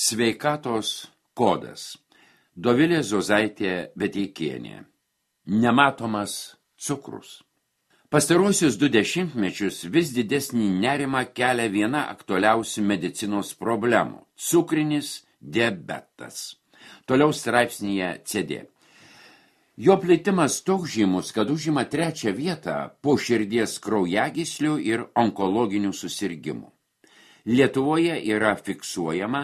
Sveikatos kodas. Dovilė Zozaitė Veteikienė. Nematomas cukrus. Pastaruosius 2 dešimtmečius vis didesnį nerimą kelia viena aktualiausių medicinos problemų – cukrinis diabetas. Toliau straipsnyje CD. Jo plitimas toks žymus, kad užima 3. vietą po širdies kraujagyslių ir onkologinių susirgimų. Lietuvoje yra fiksuojama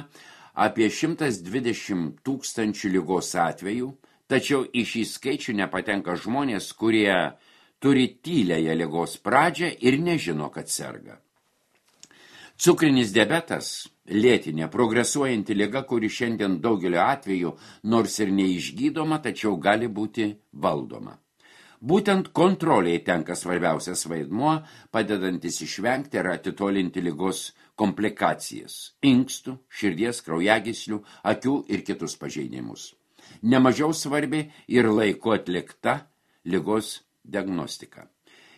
apie 120 000 ligos atvejų, tačiau į šį skaičių nepatenka žmonės, kurie turi tyliąją ligos pradžią ir nežino, kad serga. Cukrinis diabetas – lėtinė, progresuojanti liga, kuri šiandien daugelio atveju nors ir neišgydoma, tačiau gali būti valdoma. Būtent kontroliai tenka svarbiausias vaidmuo, padedantis išvengti ar atitolinti ligos komplikacijas – inkstų, širdies, kraujagyslių, akių ir kitus pažeidimus. Nemažiau svarbi ir laiku atlikta ligos diagnostika.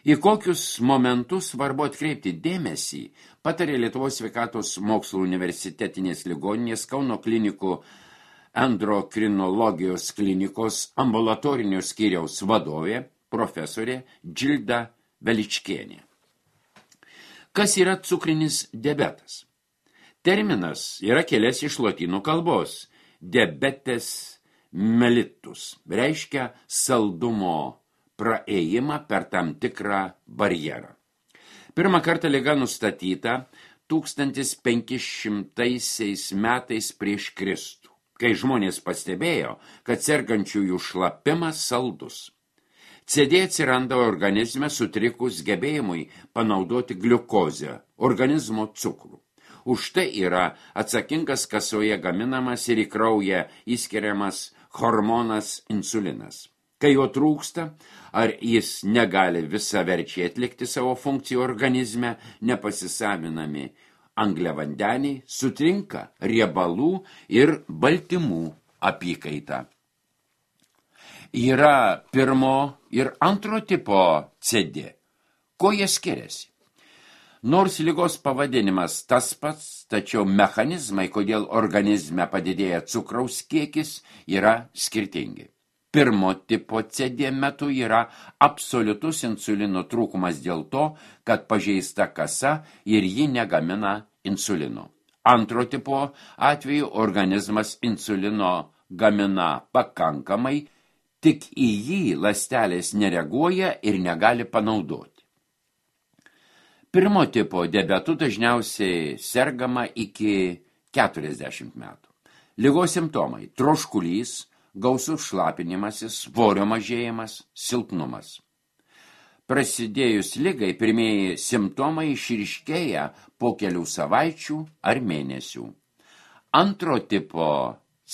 Į kokius momentus svarbu atkreipti dėmesį, patarė Lietuvos sveikatos mokslų universitetinės ligoninės Kauno klinikų endokrinologijos klinikos ambulatorinio skyriaus vadovė, profesorė Džilda Veličkienė. Kas yra cukrinis diabetas? Terminas yra kilęs iš lotynų kalbos. Diabetes mellitus reiškia saldumo praėjimą per tam tikrą barjerą. Pirmą kartą liga nustatyta 1500 metais prieš Kristų, kai žmonės pastebėjo, kad sergančiųjų šlapimas saldus. CD atsiranda organizme sutrikus gebėjimui panaudoti gliukozę, organizmo cukrų. Už tai yra atsakingas kasoje gaminamas ir į kraują įskiriamas hormonas insulinas. Kai jo trūksta, ar jis negali visaverčiai atlikti savo funkcijų organizme, nepasisavinami angliavandeniai, sutrinka riebalų ir baltymų apykaita. Yra 1. ir 2. tipo CD. Ko jie skiriasi? Nors ligos pavadinimas tas pats, tačiau mechanizmai, kodėl organizme padidėja cukraus kiekis, yra skirtingi. 1. tipo CD metu yra absoliutus insulino trūkumas dėl to, kad pažeista kasa ir ji negamina insulino. 2. tipo atveju organizmas insulino gamina pakankamai, tik į jį ląstelės nereaguoja ir negali panaudoti. 1. tipo diabetu dažniausiai sergama iki 40 metų. Ligos simptomai – troškulys, gausus šlapinimasis, svorio mažėjimas, silpnumas. Prasidėjus ligai, pirmieji simptomai išryškėja po kelių savaičių ar mėnesių. 2. tipo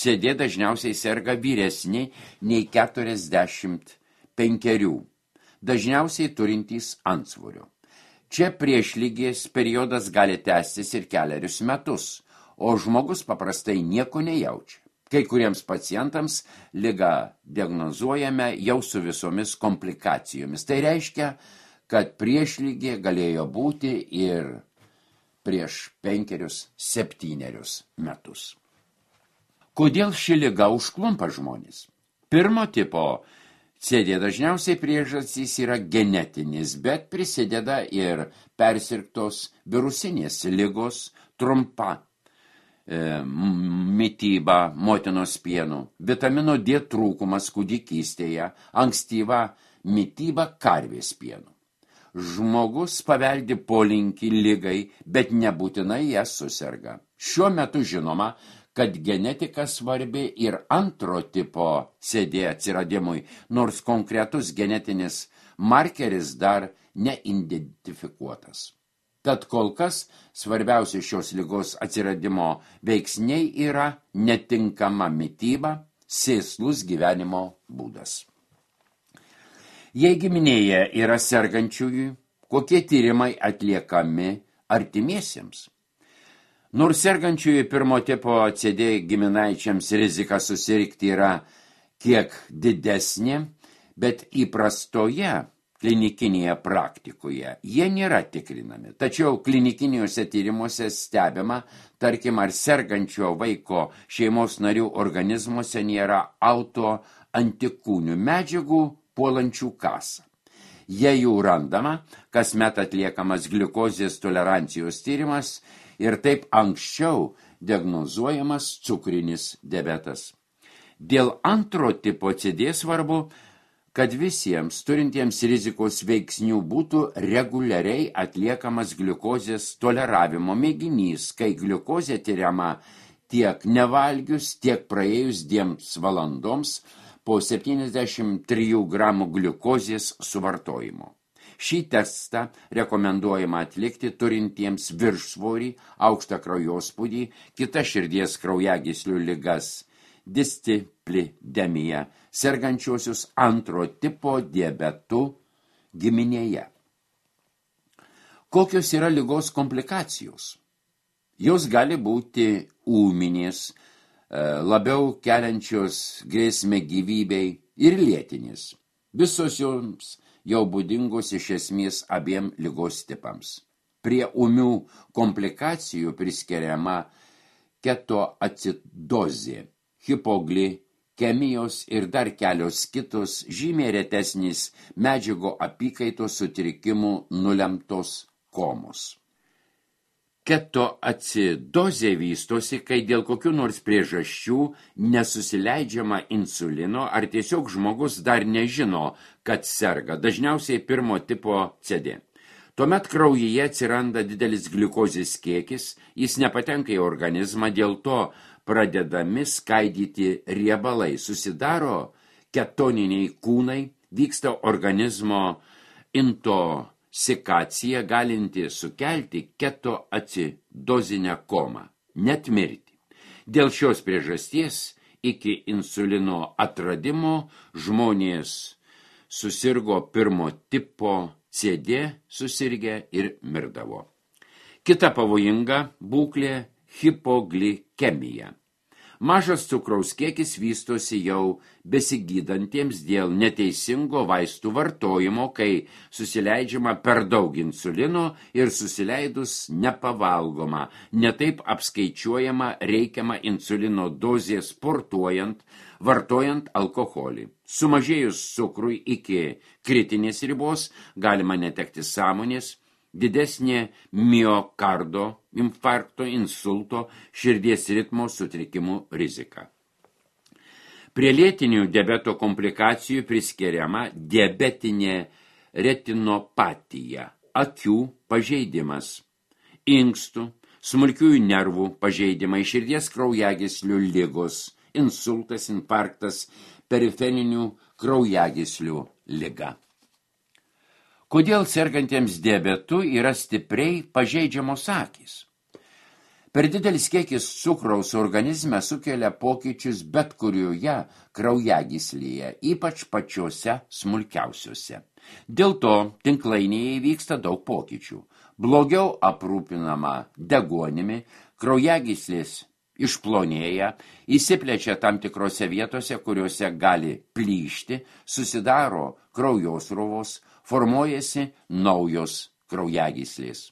CD dažniausiai serga vyresni nei 45, dažniausiai turintys antsvorio. Čia priešlygės periodas gali tęstis ir 4 metus, o žmogus paprastai nieko nejaučia. Kai kuriems pacientams ligą diagnozuojame jau su visomis komplikacijomis. Tai reiškia, kad priešlygė galėjo būti ir prieš 5-7 metus. Kodėl ši liga užklumpa žmonės? 1. tipo CD dažniausiai priežastys yra genetinis, bet prisideda ir persirgtos virusinės ligos, trumpa mityba motinos pienu, vitamino D trūkumas kūdikystėje, ankstyva mityba karvės pienu. Žmogus paveldi polinkį ligai, bet nebūtinai ją suserga. Šiuo metu žinoma, kad genetika svarbi ir 2. tipo CD atsiradimui, nors konkretus genetinis markeris dar neidentifikuotas. Tad kol kas svarbiausi šios ligos atsiradimo veiksniai yra netinkama mityba, sėslus gyvenimo būdas. Jei giminėje yra sergančiųjų, kokie tyrimai atliekami artimiesiems? Nors sergančiųjų 1. tipo CD giminaičiams rizika susirgti yra kiek didesnė, bet įprastoje klinikinėje praktikoje. Jie nėra tikrinami, tačiau klinikiniuose tyrimuose stebima, tarkim, ar sergančio vaiko šeimos narių organizmuose nėra autoantikūnių medžiagų puolančių kasą. Jei jų randama, kasmet atliekamas gliukozės tolerancijos tyrimas ir taip anksčiau diagnozuojamas cukrinis diabetas. Dėl antro tipo CD svarbu, kad visiems turintiems rizikos veiksnių būtų reguliariai atliekamas gliukozės toleravimo mėginys, kai gliukozė tyriama tiek nevalgius, tiek praėjus 2 valandoms po 73 gramų gliukozės suvartojimo. Šį testą rekomenduojama atlikti turintiems viršsvorį, aukštą kraujospūdį, kitas širdies kraujagyslių ligas, disciplidemiją, sergančiosius antro tipo diabetu giminėje. Kokios yra ligos komplikacijos? Jos gali būti ūminės, labiau keliančios grėsmę gyvybei ir lėtinės. Visos joms jau būdingos iš esmės abiem ligos tipams. Prie ūmių komplikacijų priskiriama ketoacidozė, hipoglikemijos ir dar kelios kitos žymiai retesnės medžiagų apykaitos sutrikimų nulemtos komos. Ketoacidozė vystosi, kai dėl kokių nors priežasčių nesusileidžiama insulino ar tiesiog žmogus dar nežino, kad serga, dažniausiai pirmo tipo CD. Tuomet kraujyje atsiranda didelis gliukozės kiekis, jis nepatenka į organizmą, dėl to pradedami skaidyti riebalai, susidaro ketoniniai kūnai, vyksta organizmo intoksikacija, galinti sukelti ketoacidozinę komą, net mirtį. Dėl šios priežasties iki insulino atradimo žmonės susirgo pirmo tipo CD, susirgę ir mirdavo. Kita pavojinga būklė – hipoglikemija. Mažas cukraus kiekis vystosi jau besigydantiems dėl neteisingo vaistų vartojimo, kai susileidžiama per daug insulino ir susileidus nepavalgoma, netaip apskaičiuojama reikiama insulino dozė sportuojant, vartojant alkoholį. Sumažėjus cukrui iki kritinės ribos galima netekti sąmonės, didesnė miokardo, infarkto, insulto, širdies ritmo sutrikimų rizika. Prie lėtinių diabeto komplikacijų priskiriama diabetinė retinopatija, akių pažeidimas, inkstų, smulkiųjų nervų pažeidimai, širdies kraujagyslių ligos, insultas, infarktas, periferinių kraujagyslių liga. Kodėl sergantiems diabetu yra stipriai pažeidžiamos akys? Per didelis kiekis cukraus organizme sukelia pokyčius bet kurioje kraujagyslėje, ypač pačiose smulkiausiose. Dėl to tinklainėje vyksta daug pokyčių. Blogiau aprūpinama deguonimi, kraujagyslės išplonėja, įsiplečia tam tikrose vietose, kuriuose gali plyšti, susidaro kraujosruvos, formuojasi naujos kraujagyslės.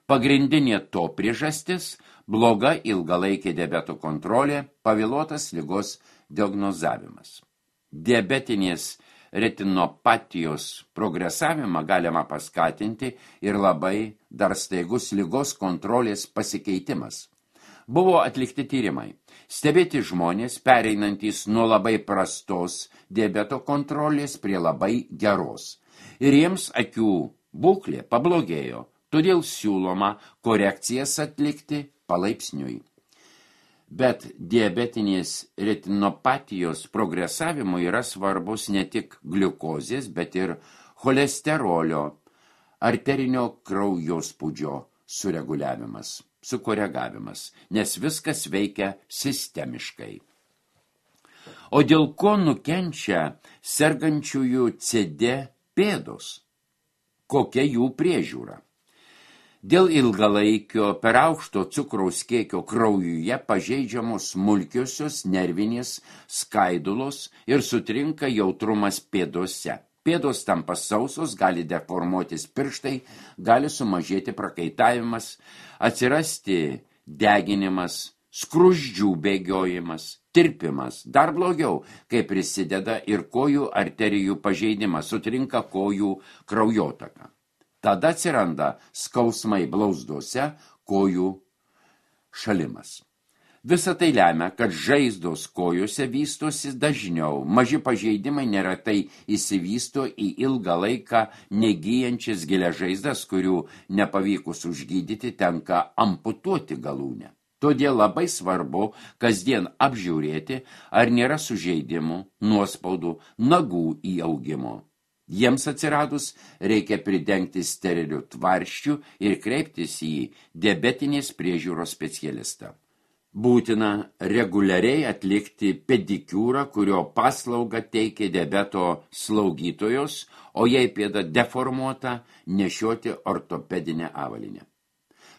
Pagrindinė to priežastis – bloga ilgalaikė diabeto kontrolė, pavėluotas ligos diagnozavimas. Diabetinės retinopatijos progresavimą galima paskatinti ir labai dar staigus ligos kontrolės pasikeitimas. Buvo atlikti tyrimai. Stebėti žmonės, pereinantys nuo labai prastos diabeto kontrolės prie labai geros. Ir jiems akių būklė pablogėjo, todėl siūloma korekcijas atlikti palaipsniui. Bet diabetinės retinopatijos progresavimui yra svarbus ne tik gliukozės, bet ir cholesterolio, arterinio kraujospūdžio sukoregavimas, nes viskas veikia sistemiškai. O dėl ko nukenčia sergančiųjų CD pėdos? Kokia jų priežiūra? Dėl ilgalaikio per aukšto cukraus kiekio kraujuje pažeidžiamos smulkiosios nervinės skaidulos ir sutrinka jautrumas pėdose. pėdos tampa sausos, gali deformuotis pirštai, gali sumažėti prakaitavimas, atsirasti deginimas, skruzdžių bėgiojimas, tirpimas. Dar blogiau, kai prisideda ir kojų arterijų pažeidimas, sutrinka kojų kraujotaka. Tada atsiranda skausmai blauzdose, kojų šalimas. Visa tai lemia, kad žaizdos kojose vystosi dažniau, maži pažeidimai neretai įsivysto į ilgą laiką negyjančias gilias žaizdas, kurių nepavykus užgydyti tenka amputuoti galūnę. Todėl labai svarbu kasdien apžiūrėti, ar nėra sužeidimų, nuospaudų, nagų įaugimo. Jiems atsiradus reikia pridengti sterilių tvarščių ir kreiptis į diabetinės priežiūros specialistą. Būtina reguliariai atlikti pedikiūrą, kurio paslaugą teikia diabeto slaugytojos, o jei pėda deformuota, nešioti ortopedinę avalynę.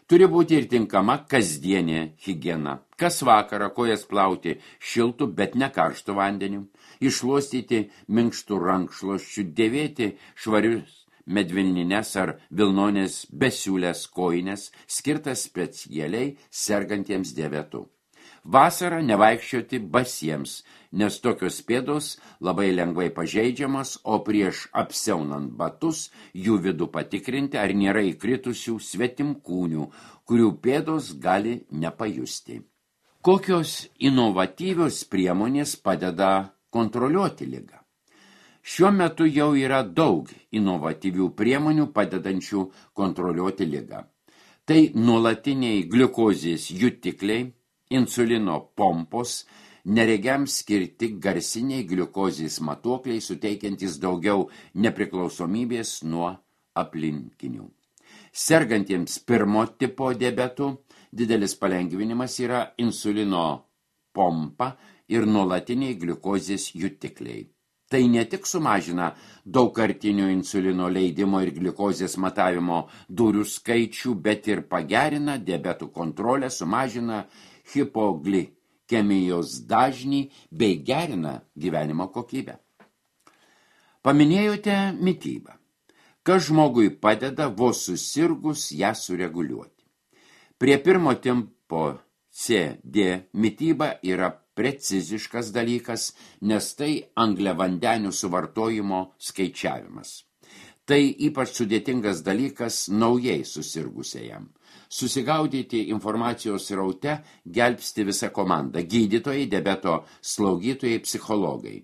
Turi būti ir tinkama kasdienė higiena. Kas vakarą kojas plauti šiltų, bet ne karštų vandeniu, iššluostyti minkštų rankšluosčių, dėvėti švarius medvilnines ar vilnonės besiūlės kojines, skirtas specialiai sergantiems diabetu. Vasarą nevaikščioti basiems, nes tokios pėdos labai lengvai pažeidžiamas, o prieš apsiaunant batus jų vidų patikrinti, ar nėra įkritusių svetimkūnių, kurių pėdos gali nepajusti. Kokios inovatyvios priemonės padeda kontroliuoti ligą? Šiuo metu jau yra daug inovatyvių priemonių padedančių kontroliuoti ligą. Tai nuolatiniai gliukozės jutikliai, insulino pompos, neregiams skirti garsiniai gliukozės matuokliai, suteikiantys daugiau nepriklausomybės nuo aplinkinių. Sergantiems pirmo tipo diabetu didelis palengvinimas yra insulino pompa ir nuolatiniai gliukozės jutikliai. Tai ne tik sumažina daugkartinio insulino leidimo ir gliukozės matavimo durų skaičių, bet ir pagerina diabetų kontrolę, sumažina hipoglikemijos dažnį bei gerina gyvenimo kokybę. Paminėjote mitybą. Kas žmogui padeda vos susirgus ją sureguliuoti. Prie pirmo tipo CD mityba yra preciziškas dalykas, nes tai angliavandenių suvartojimo skaičiavimas. Tai ypač sudėtingas dalykas naujai susirgusiajam. Susigaudyti informacijos sraute gelbsti visą komandą – gydytojai, diabeto slaugytojai, psichologai.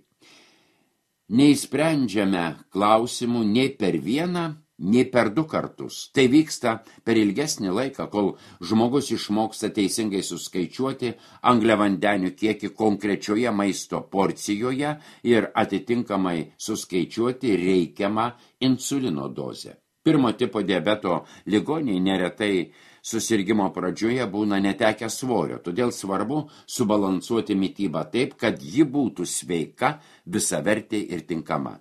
Neįsprendžiame klausimų nei per vieną, nei per 2 kartus. Tai vyksta per ilgesnį laiką, kol žmogus išmoksta teisingai suskaičiuoti angliavandenių kiekį konkrečioje maisto porcijoje ir atitinkamai suskaičiuoti reikiamą insulino dozę. Pirmo tipo diabeto ligoniai neretai susirgimo pradžioje būna netekę svorio, todėl svarbu subalansuoti mitybą taip, kad ji būtų sveika, visavertė ir tinkama.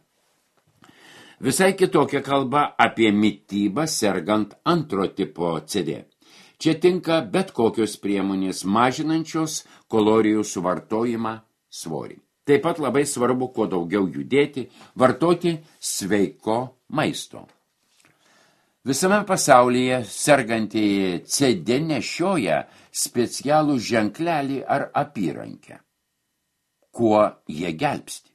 Visai kitokia kalba apie mitybą sergant antro tipo CD. Čia tinka bet kokios priemonės mažinančios kalorijų suvartojimą svorį. Taip pat labai svarbu kuo daugiau judėti, vartoti sveiko maisto. Visame pasaulyje sergantieji CD nešioja specialų ženklelį ar apyrankę. Kuo jie gelbsti?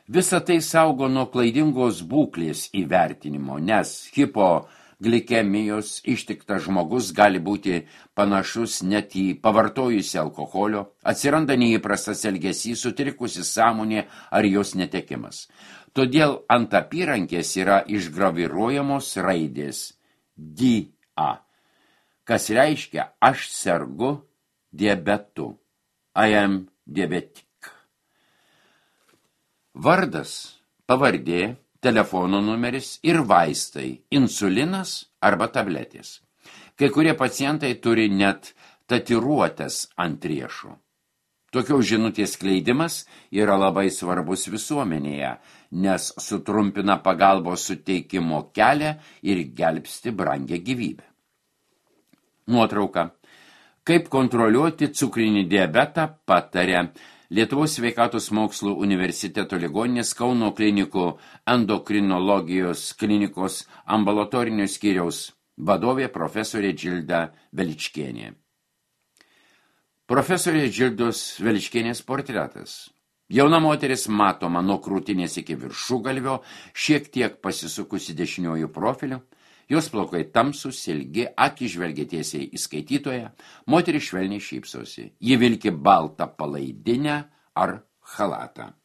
Visa tai saugo nuo klaidingos būklės įvertinimo, nes hipoglikemijos ištiktas žmogus gali būti panašus net į pavartojusį alkoholio, atsiranda neįprastas elgesys, sutrikusi sąmonė ar jos netekimas. Todėl ant apyrankės yra išgraviruojamos raidės DA, kas reiškia aš sergu diabetu, I am diabetic. Vardas, pavardė, telefono numeris ir vaistai, insulinas arba tabletės. Kai kurie pacientai turi net tatuiruotes ant riešo. Tokios žinutės skleidimas yra labai svarbus visuomenėje, nes sutrumpina pagalbos suteikimo kelią ir gelbsti brangią gyvybę. Nuotrauka. Kaip kontroliuoti cukrinį diabetą pataria Lietuvos sveikatos mokslų universiteto ligoninės Kauno klinikų endokrinologijos klinikos ambulatorinio skyriaus vadovė profesorė Džilda Veličkienė. Profesorė Džildos Veličkienės portretas. Jauna moteris matoma nuo krūtinės iki viršugalvio, šiek tiek pasisukusi dešiniuoju profiliu, jos plaukai tamsūs, ilgi, akys žvelgia tiesiai į skaitytoją, moteris švelniai šypsosi. Ji vilki baltą palaidinę ar chalatą.